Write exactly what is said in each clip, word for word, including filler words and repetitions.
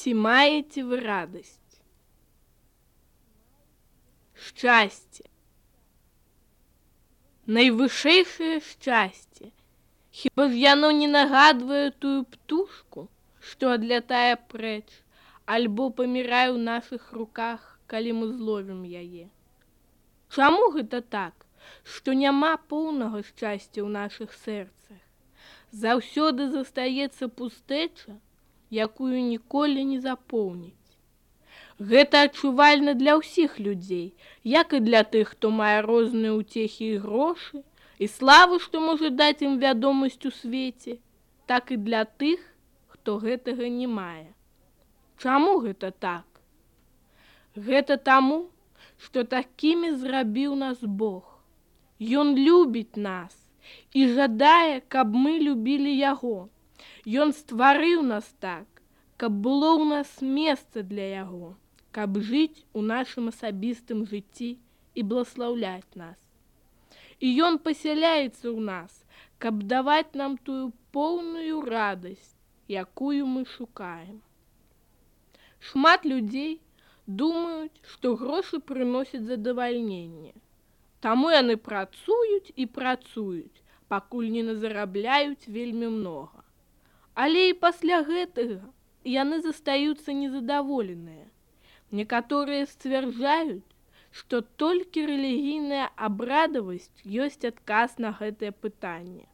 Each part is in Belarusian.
Ці маеце вы радасць? Шчасце. Найвышэйшае шчасце. Хіба ж яно не нагадвае тую птушку, што адлятае прэч, альбо памірае ў нашых руках, калі мы зловім яе? Чаму гэта так, што няма поўнага шчасця ў нашых сэрцах? Заўсёды застаецца пустэча, якую ніколі не запоўніць. Гэта адчувальна для ўсіх людзей, як і для тых, хто мае розныя ўцехі і грошы, і славу, што можа даць ім вядомасць у свеце, так і для тых, хто гэтага не мае. Чаму гэта так? Гэта таму, што такімі зрабіў нас Бог. Ён любіць нас і жадае, каб мы любілі Яго. Ён стварыў нас так, каб было ў нас месца для Яго, каб жыць у нашым асабістым жыцці і бласлаўляць нас. І Ён пасяляецца ў нас, каб даваць нам тую поўную радасць, якую мы шукаем. Шмат людзей думаюць, што грошы прыносяць задавальненне. Таму яны працуюць і працуюць, пакуль не назарабляюць вельмі многа. Але і пасля гэтага яны застаюцца незадаволеныя. Некаторыя сцвярджаюць, што толькі рэлігійная абрадавасць ёсць адказ на гэтае пытанне.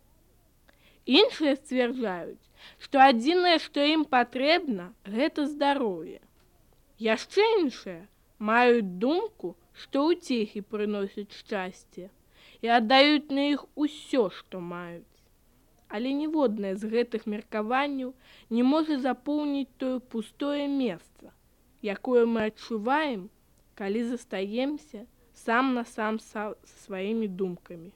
Іншыя сцвярджаюць, што адзінае, што ім патрэбна, гэта здароўе. Яшчэ іншыя маюць думку, што ўцехі прыносяць шчасце і аддаюць на іх усё, што маюць. Але ніводнае з гэтых меркаванняў не можа запоўніць тое пустое месца, якое мы адчуваем, калі застаемся сам на сам са сваімі думкамі.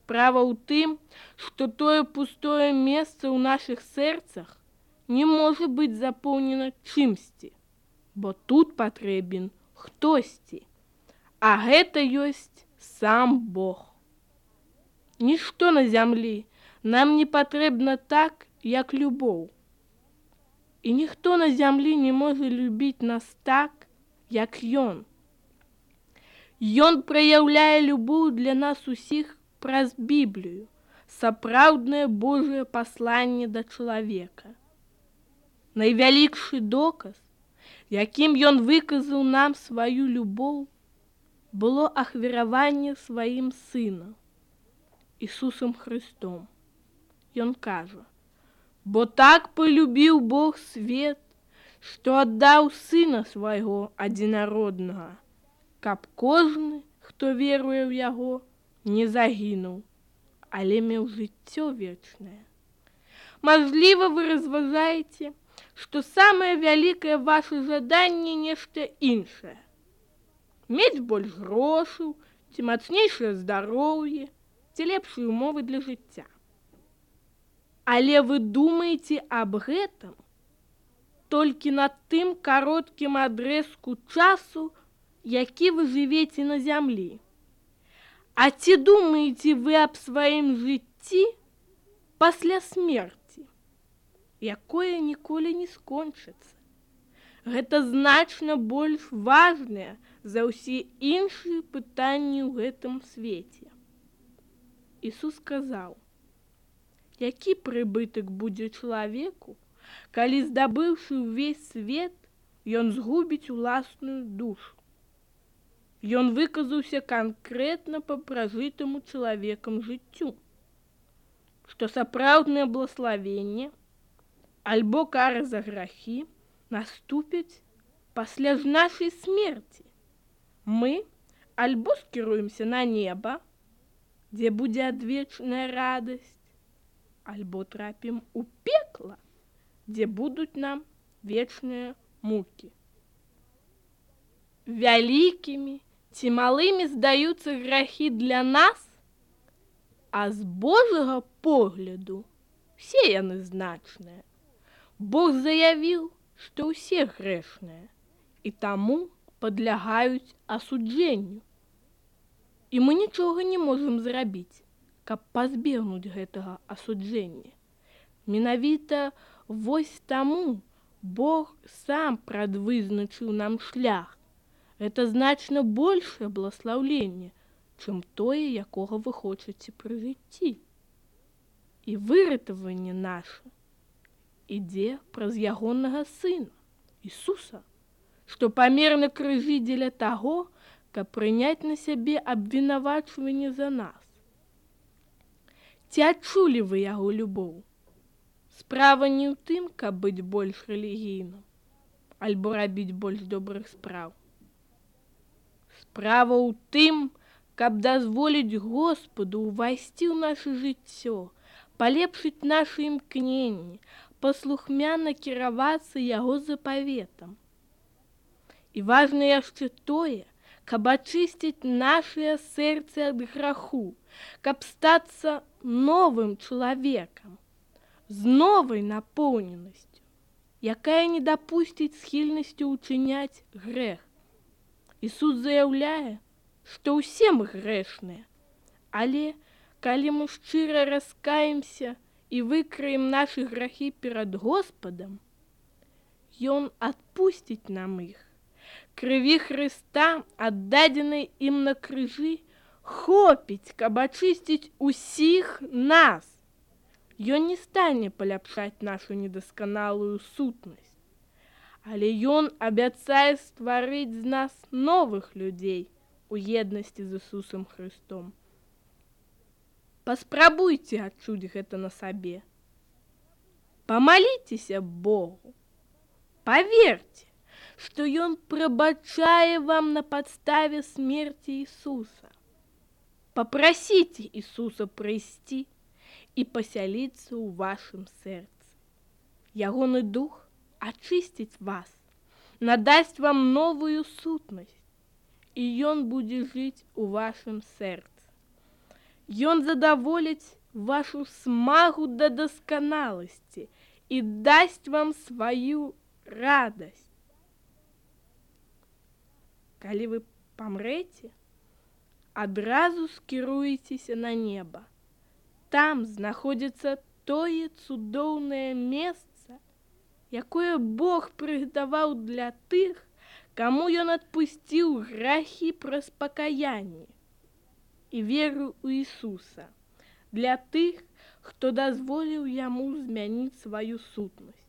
Справа ў тым, што тое пустое месца ў нашых сэрцах не можа быць запоўнена чымсьці, бо тут патрэбен хтосьці, а гэта ёсць сам Бог. Нішто на зямлі нам не патрэбна так, як любоў. І ніхто на зямлі не можа любіць нас так, як Ён. Ён праяўляе любоў для нас усіх праз Біблію, сапраўднае Божае пасланне да чалавека. Найвялікшы доказ, якім Ён выказаў нам сваю любоў, было ахвяраванне сваім Сынам, Ісусам Христом. Ён кажа: «Бо так полюбіў Бог свет, што аддаў Сына свайго адзінароднага, каб кожны, хто веруе ў Яго, не загінуў, але меў жыццё вечнае». Мажліва, вы разважаеце, што самае вялікае ваше жаданне нешта іншае. Мець больш грошаў, ці мацнейшае здароўе, ці лепшыя умовы для жыцця. Але вы думаеце аб гэтым толькі на тым кароткім адрэзку часу, які вы жывеце на зямлі. А ці думаеце вы аб сваім жыцці пасля смерці, якое ніколі не скончыцца? Гэта значна больш важнае за ўсе іншыя пытанні ў гэтым свеце. Ісус сказаў: «Які прыбытак будзе чалавеку, калі, здабыўшы ўвесь свет, ён згубіць уласную душу?» Ён выказаўся канкрэтна па пражытаму чалавекам жыццю, што сапраўднае блаславенне альбо кара за грахі наступяць пасля ж нашай смерці. Мы альбо скіруемся на неба, дзе будзе адвечная радасць, альбо трапім у пекла, дзе будуць нам вечныя мукі. Вялікімі ці малымі здаюцца грахі для нас, а з Божага погляду все яны значныя. Бог заявіў, што ўсе грэшныя, і таму падлягаюць асуджэнню. І мы нічога не можам зрабіць, каб пазбегнуць гэтага асуджэння. Менавіта вось таму Бог сам прадвызначыў нам шлях. Гэта значна большае благословение, чым тое, якога вы хочаце пры жыцці. І выратаванне наша ідзе праз ягонага сына, Ісуса, што памер на крыжы дзеля таго, каб прыняць на сябе абвінавачванне за нас. Ці адчулі вы яго любоў? Справа не ў тым, каб быць больш рэлігійным, альбо рабіць больш добрых спраў. Справа ў тым, каб дазволіць Господу ўвайсці ў наша жыццё, палепшыць нашы імкненні, паслухмяна кіравацца яго запаветам. І важна яшчэ тое, каб ачысціць нашыя сэрцы ад граху, каб стацца новым чалавекам, з новай напоўненасцю, якая не дапусціць схільнасцю ўчыняць грэх. Ісус заяўляе, што ўсе мы грэшныя, але калі мы шчыра раскаемся і выкраем нашы грахі перад Господам, Ён адпусціць нам іх. Крыві Хрыста, аддадзенай ім на крыжы, хопіць, каб ачысціць усіх нас. Ён не стане паляпшаць нашу недасканалую сутнасць, але Ён абяцае стварыць з нас новых людзей у еднасці з Ісусам Хрыстом. Паспрабуйце адчуць гэта на сабе. Памаліцеся Богу. Паверьце, што Ён прабачае вам на падставе смерці Ісуса. Папрасіце Ісуса прыйсці і пасяліцца ў вашым сэрцы. Ягоны дух ачысціць вас, надасць вам новую сутнасць, і Ён будзе жыць у вашым сэрцы. Ён задаволіць вашу смагу да дасканаласці і дасць вам сваю радасць. Калі вы памрэце, адразу скіруецеся на неба. Там знаходзіцца тое цудоўнае месца, якое Бог прыгатаваў для тых, каму Ён адпусціў грахі праз пакаянне і веру ў Ісуса, для тых, хто дазволіў Яму змяніць сваю сутнасць.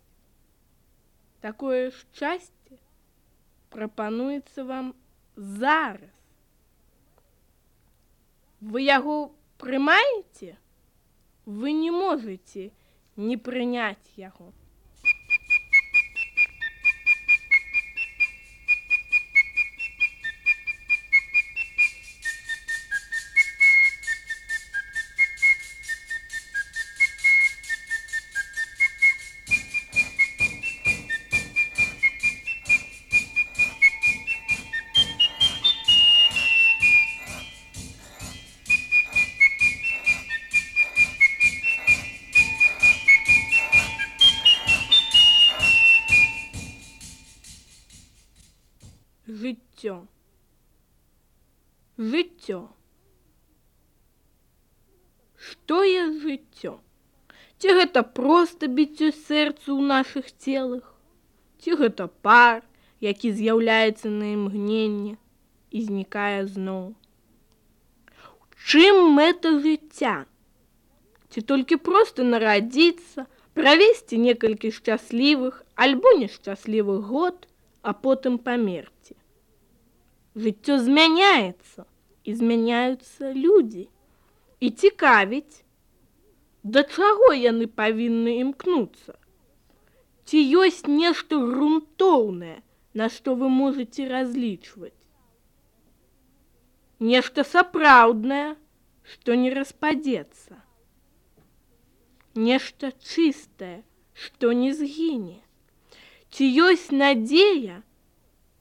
Такое шчасце прапануецца вам зараз. Вы яго прымаеце? Вы не можаце не прыняць яго. Жыццё. Жыццё. Што ёсць жыццё? Ці гэта проста біццё сэрца ў нашых целах? Ці гэта пар, які з'яўляецца на імгненне і знікае зноў? Чым мэта жыцця? Ці толькі проста нарадзіцца, правесці некалькі шчаслівых альбо нешчаслівых год, а потым памерці? Жыццё змяняецца, і змяняюцца людзі. І цікавіць, да чаго яны павінны імкнуцца? Ці ёсць нешта грунтоўнае, на што вы можаце разлічваць? Нешта сапраўднае, што не распадзецца. Нешта чыстае, што не згіне. Ці ёсць надзея,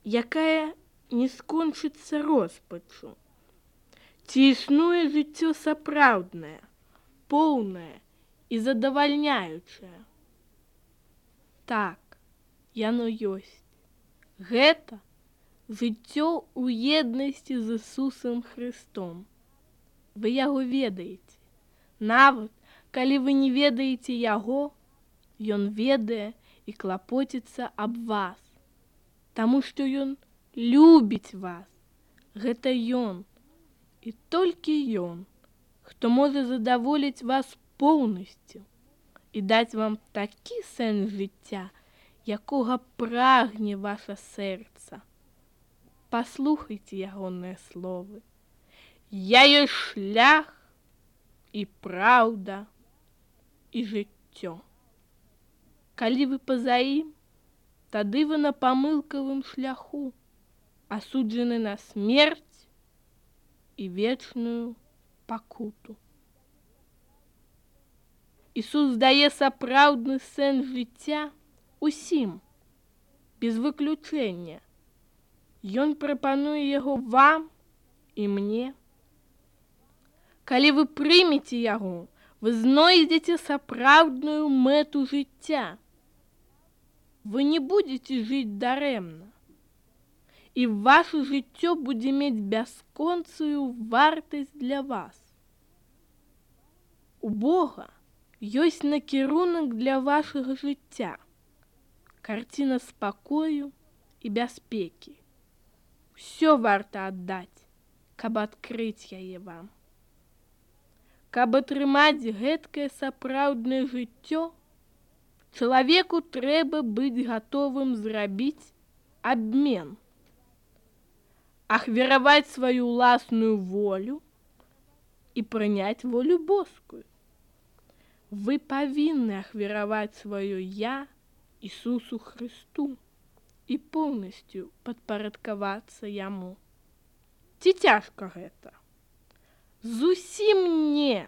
якая не скончыцца роспачу? Ці існуе жыццё сапраўднае, поўнае і задавальняючае? Так, яно ёсць. Гэта жыццё ў еднасці з Ісусам Хрыстом. Вы яго ведаеце. Нават, калі вы не ведаеце яго, ён ведае і клапоціцца аб вас, таму што ён любіць вас. Гэта ён, і толькі ён, хто можа задаволіць вас поўнасцю і даць вам такі сэнс жыцця, якога прагне ваша сэрца. Паслухайце ягоныя словы. Я ёсць шлях і праўда і жыццё. Калі вы па-за ім, тады вы на памылкавым шляху, асуджаны на смерць і вечную пакуту. Ісус дае сапраўдны сэнс жыцця усім, без выключэння. Ён прапануе яго вам і мне. Калі вы прымеце яго, вы знойдзеце сапраўдную мэту жыцця. Вы не будзеце жыць дарэмна, і ваше жыццё будзе мець бясконцую вартасць для вас. У Бога ёсць накірунак для вашага жыцця, карціна спакою і бяспекі. Усё варта аддаць, каб адкрыць яе вам. Каб атрымаць гэткае сапраўднае жыццё, чалавеку трэба быць гатовым зрабіць абмен, ахвяраваць сваю ўласную волю і прыняць волю боскую. Вы павінны ахвяраваць сваё «Я» Ісусу Хрысту і поўнасцю падпарадкавацца Яму. Ці цяжка гэта? Зусім не,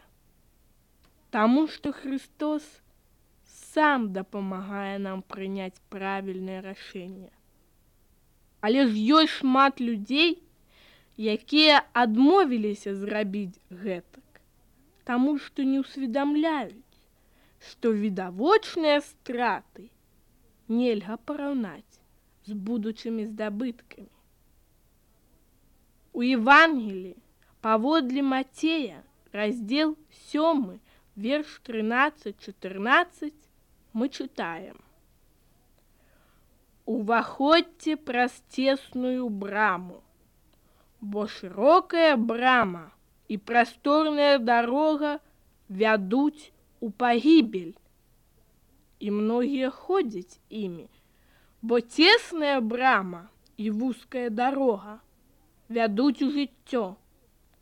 таму што Христос сам дапамагае нам прыняць правільнае рашэнне. Але ж ёсць шмат людзей, якія адмовіліся зрабіць гэтак, таму што не ўсведамляюць, што відавочныя страты нельга параўнаць з будучымі здабыткамі. У Евангеліі паводле Мацея, раздзел сёмы, верш трынаццаць-чатырнаццаць, мы чытаем: «Уваходзьце праз цесную браму, бо шырокая брама і прасторная дарога вядуць у пагібель, і многія ходзяць імі, бо цесная брама і вузкая дарога вядуць у жыццё,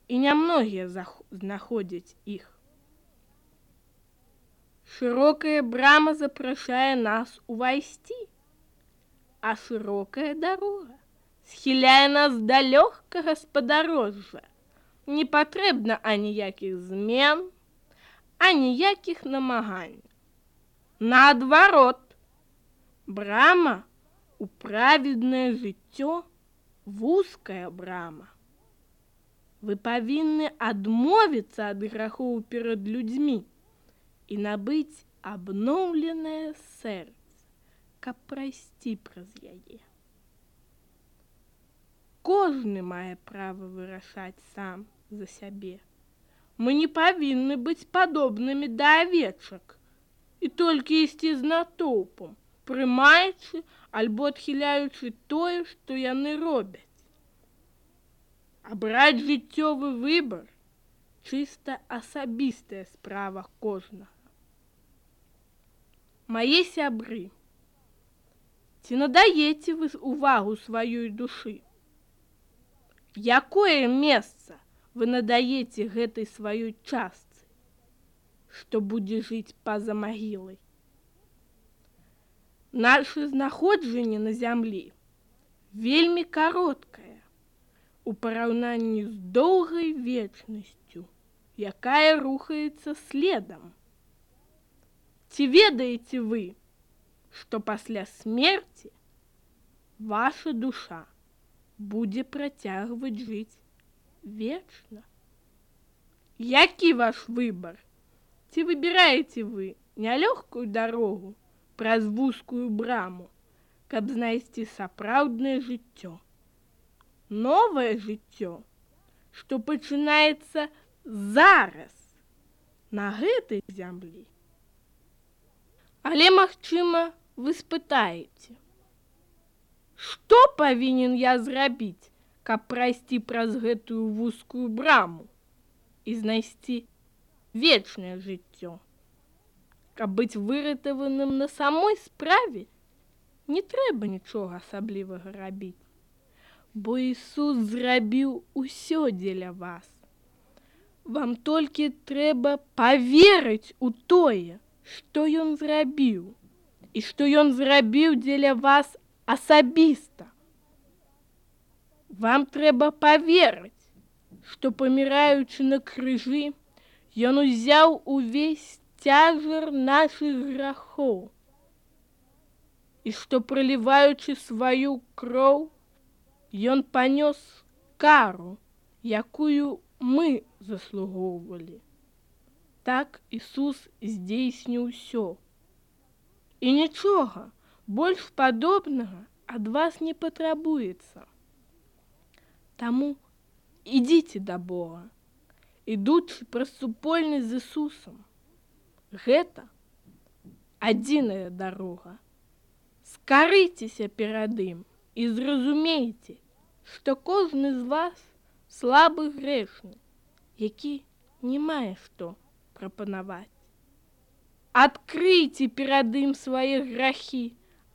і нямногія знаходзяць іх». Шырокая брама запрашае нас увайсці, а шырокая дарога схіляе нас да лёгкага спадарожжа. Не патрэбна аніякіх змен, аніякіх намаганняў. Наадварот, брама у праведнае жыццё вузкая брама. Вы павінны адмовіцца ад грахоў перад людзьмі і набыць абноўленае сэрца, каб прайсці праз яе. Кожны мае права вырашаць сам за сябе. Мы не павінны быць падобнымі да авечак і толькі ісці з натоўпам, прымаючы альбо адхіляючы тое, што яны робяць. Абраць жыццёвы выбар – чыста асабістая справа кожнага. Мае сябры, ці надаеце вы увагу сваёй душы? Якое месца вы надаеце гэтай сваёй частцы, што будзе жыць па-за магілай? Наша знаходжанне на зямлі вельмі кароткае у параўнанні з доўгай вечнасцю, якая рухаецца следам. Ці ведаеце вы, што пасля смерці ваша душа будзе працягваць жыць вечна? Які ваш выбар? Ці выбіраеце вы нялёгкую дарогу праз вузкую браму, каб знайсці сапраўднае жыццё? Новае жыццё, што пачынаецца зараз на гэтай зямлі. Але, магчыма, вы спытаеце: што павінен я зрабіць, каб прайсці праз гэтую вузкую браму і знайсці вечнае жыццё? Каб быць выратаваным на самой справе, не трэба нічога асаблівага рабіць, бо Ісус зрабіў усё дзеля вас. Вам толькі трэба паверыць у тое, што Ён зрабіў, і што Ён зрабіў дзеля вас асабіста. Вам трэба паверыць, што, паміраючы на крыжы, Ён узяў увесь цяжар нашых грахоў, і што, праліваючы сваю кроў, Ён панёс кару, якую мы заслугоўвалі. Так Ісус здзейсніў усё. І нічога больш падобнага ад вас не патрабуецца. Таму ідзіце да Бога, ідучы праз супольнасць з Ісусам. Гэта адзіная дарога. Скарыцеся перад ім і зразумейце, што кожны з вас слабы грэшны, які не мае што прапанаваць. Адкрыйце перад ім свае грахі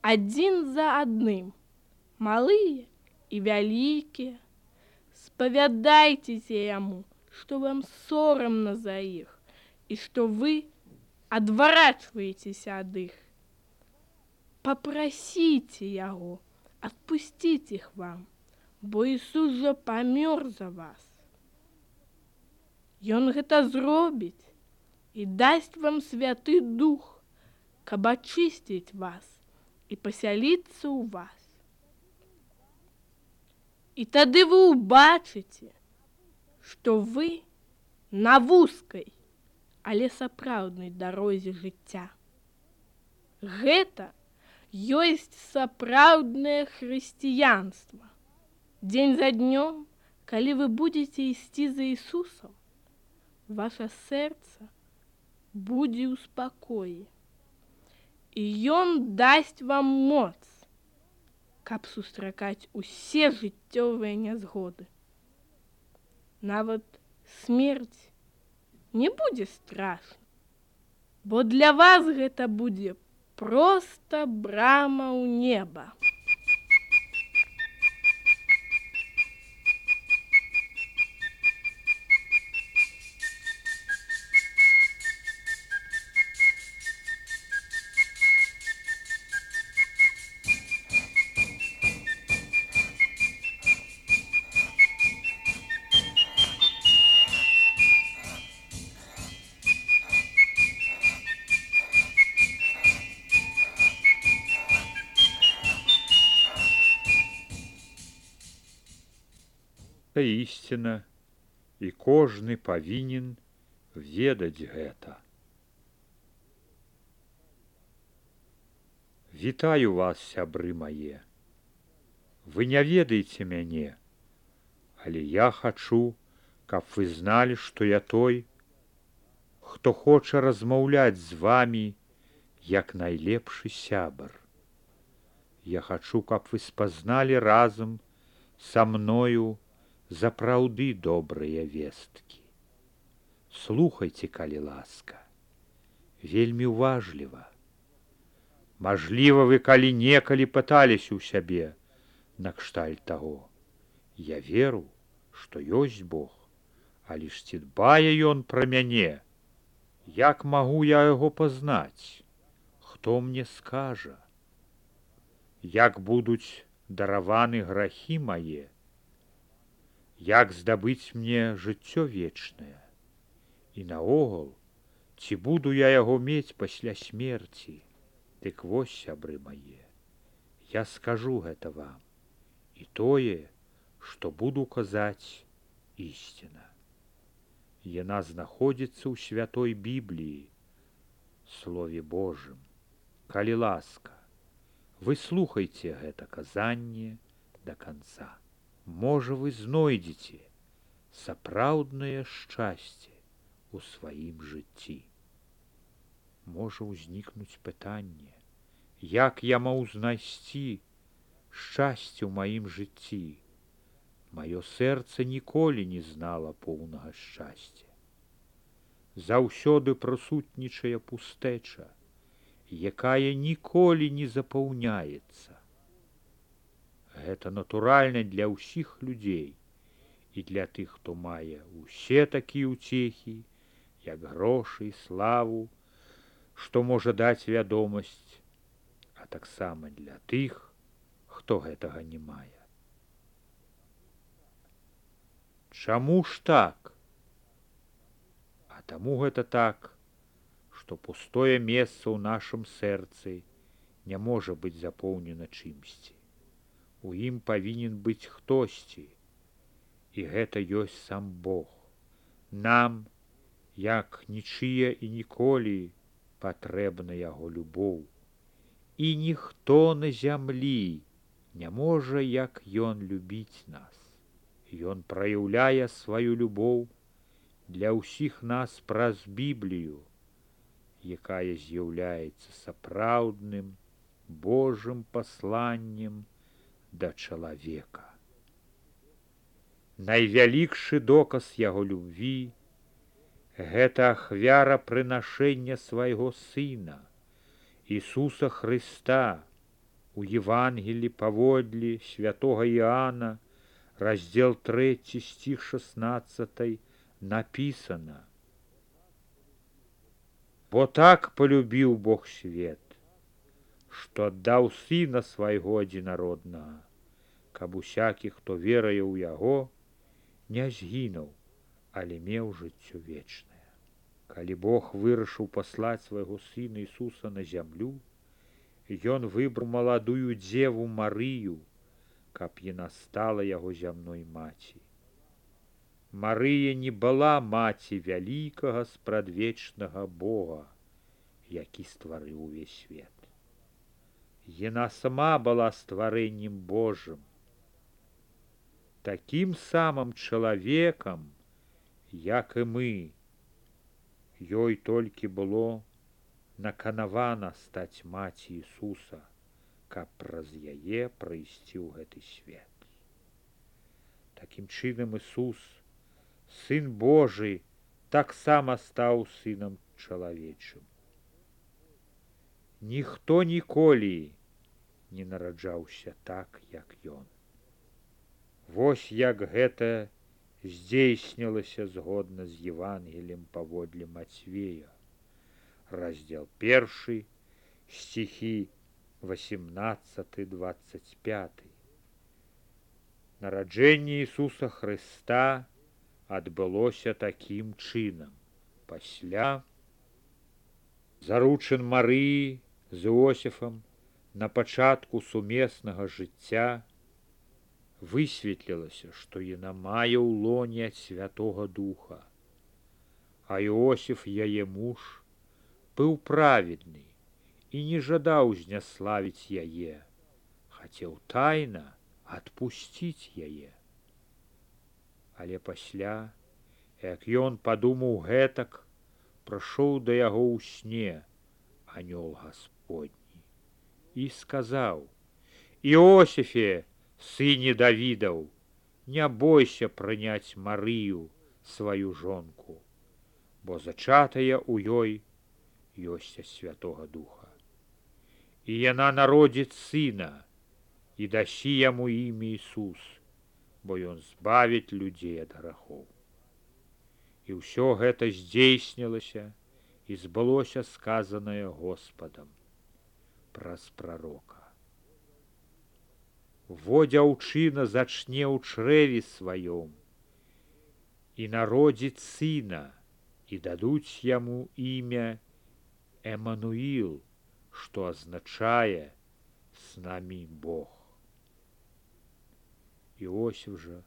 адзін за адным, малыя і вялікія. Спавядайцеся яму, што вам сорамна за іх і што вы адварачваецеся ад іх. Папрасіце яго адпусціць іх вам, бо Ісус жа памёр за вас. Ён гэта зробіць і дасць вам Святы Дух, каб ачысціць вас і пасяліцца ў вас. І тады вы ўбачыце, што вы на вузкай, але сапраўднай дарозе жыцця. Гэта ёсць сапраўднае хрысціянства. Дзень за днём, калі вы будзеце ісці за Ісусам, ваша сэрца будзе ў спакоі, і Ён дасць вам моц, каб сустракаць усе жыццёвыя нязгоды. Нават смерць не будзе страшна, бо для вас гэта будзе проста брама ў неба. Ісціна, і кожны павінен ведаць гэта. Вітаю вас, сябры мае. Вы не ведаеце мяне, але я хачу, каб вы зналі, што я той, хто хоча размаўляць з вамі, як найлепшы сябар. Я хачу, каб вы спазналі разам са мною запраўды добрыя весткі. Слухайце, калі ласка, вельмі уважліва. Мажліва, вы калі некалі пыталіся ў сябе накшталт таго: я веру, што ёсць Бог, але ж ці дбае Ён пра мяне? Як магу я яго пазнаць? Хто мне скажа? Як будуць дараваны грахі мае? Як здабыць мне жыццё вечнае? І наогул, ці буду я яго мець пасля смерці? Дык вось, сябры мае, я скажу гэта вам, і тое, што буду казаць, ісціна. Яна знаходзіцца ў святой Бібліі, Слове Божым. Калі ласка, вы слухайце гэта казанне да канца. Можа, вы знойдзеце сапраўднае шчасце у сваім жыцці. Можа ўзнікнуць пытанне, як я мог знайсці шчасце ў маім жыцці. Маё сэрца ніколі не знала поўнага шчасця. Заўсёды прысутнічае пустэча, якая ніколі не запаўняецца. Гэта натуральна для ўсіх людзей і для тых, хто мае ўсе такія ўцехі, як грошы, славу, што можа даць вядомасць, а таксама для тых, хто гэтага не мае. Чаму ж так? А таму гэта так, што пустое месца ў нашым сэрцы не можа быць запоўнена чымсьці. У ім павінен быць хтосьці, і гэта ёсць сам Бог. Нам, як нічыя і ніколі, патрэбна яго любоў. І ніхто на зямлі не можа, як ён любіць нас. Ён праяўляе сваю любоў для ўсіх нас праз Біблію, якая з'яўляецца сапраўдным Божым пасланнем да чалавека. Найвялікшы доказ яго любві – гэта ахвяра прынашэння свайго Сына, Ісуса Хрыста. У Евангелі паводле святога Іоанна, раздзел трэці, стих шестнадцатый, написано: «Бо так полюбіў Бог свет, што аддаў Сына свайго адзінароднага, каб усякі, хто веруе ў Яго, не згінуў, але меў жыццё вечнае». Калі Бог вырашыў паслаць свайго Сына Ісуса на зямлю, Ён выбраў маладую дзеву Марыю, каб яна стала яго зямной маці. Марыя не была маці вялікага спрадвечнага Бога, які стварыў увесь свет. Яна сама была стварэннем Божым. Такім самым чалавекам, як і мы, ёй толькі было наканавана стаць маці Ісуса, каб праз яе прыйсці ў гэты свет. Такім чынам Ісус, Сын Божы, таксама стаў сынам чалавечым. Ніхто ніколі не нараджаўся так, як Ён. Вось як гэта здзейснілася згодна з Евангеліем паводле Мацвея, раздзел першы, стихі восемнадцаты двадцать пятый. Нараджэнне Ісуса Хрыста адбылося такім чынам. Пасля заручын Марыі з Іосіфам на пачатку сумеснага жыцця высветлілася, што яна мае ў лоне ад Святога Духа, а Іосіф, яе муж, быў праведны і не жадаў зняславіць яе, хацеў тайна адпусціць яе. Але пасля, як ён падумаў гэтак, прыйшоў да яго ў сне анёл Гасподні і сказаў: «Іосіфе, сыне Давідаў, не бойся прыняць Марыю, сваю жонку, бо зачатая ў ёй ёсць ад Святога Духа. І яна народзіць сына, і дасі яму імя Ісус, бо ён збавіць людзей ад грахоў». І ўсё гэта здзейснілася і збылося сказанае Господам праз прарока: «Во дзяўчына зачне ў чрэве сваём і народзіць сына, і дадуць яму імя Эмануіл, што азначае «з намі Бог». Іосіф жа,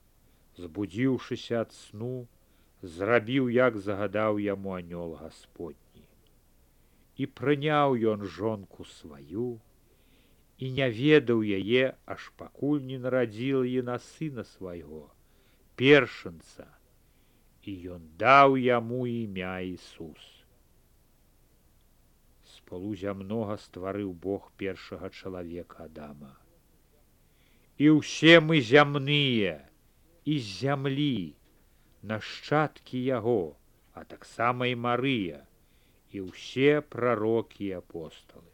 збудзіўшыся ад сну, зрабіў, як загадаў яму анёл Гасподні. І прыняў ён жонку сваю, і не ведаў яе, аж пакуль не нарадзіла яна сына свайго, першынца, і ён даў яму імя Ісус. З полу зямнога стварыў Бог першага чалавека Адама. І ўсе мы зямныя, і з зямлі, нашчадкі яго, а таксама і Марыя, і ўсе прарокі і апосталы.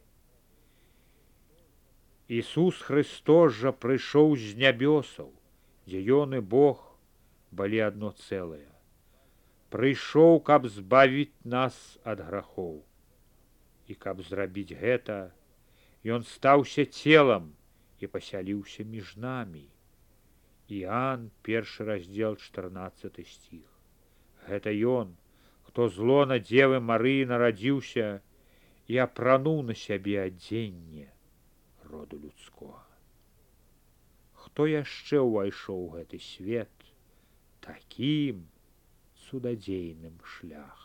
Ісус Христос жа прыйшоў з нябёсаў, дзе ён і Бог былі адно цэлае. Прыйшоў, каб збавіць нас ад грахоў. І каб зрабіць гэта, ён стаўся целам і пасяліўся між намі. Іоанн, першы раздзел, чатырнаццаты стих. Гэта ён, хто з лона Дзевы Марыі нарадзіўся і апрануў на сябе адзенне роду людскога. Хто яшчэ ўвайшоў у гэты свет такім цудадзейным шлях?